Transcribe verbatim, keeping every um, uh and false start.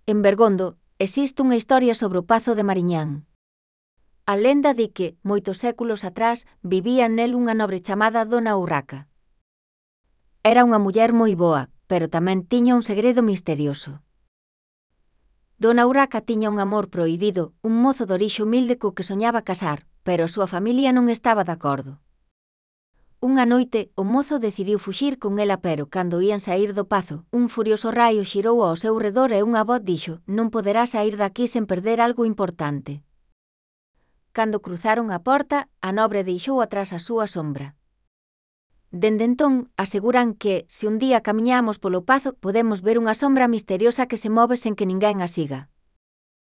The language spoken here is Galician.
En Bergondo, existe unha historia sobre o Pazo de Mariñán. A lenda di que, moitos séculos atrás, vivía nel unha nobre chamada Dona Urraca. Era unha muller moi boa, pero tamén tiña un segredo misterioso. Dona Urraca tiña un amor prohibido, un mozo de orixe humilde co que soñaba casar, pero a súa familia non estaba de acordo. Unha noite, o mozo decidiu fuxir con ela pero, cando ían saír do pazo, un furioso raio xirou ao seu redor e unha voz dixo: «Non poderás saír daqui sen perder algo importante». Cando cruzaron a porta, a nobre deixou atrás a súa sombra. Dende entón, aseguran que, se un día camiñamos polo pazo, podemos ver unha sombra misteriosa que se move sen que ninguén a siga.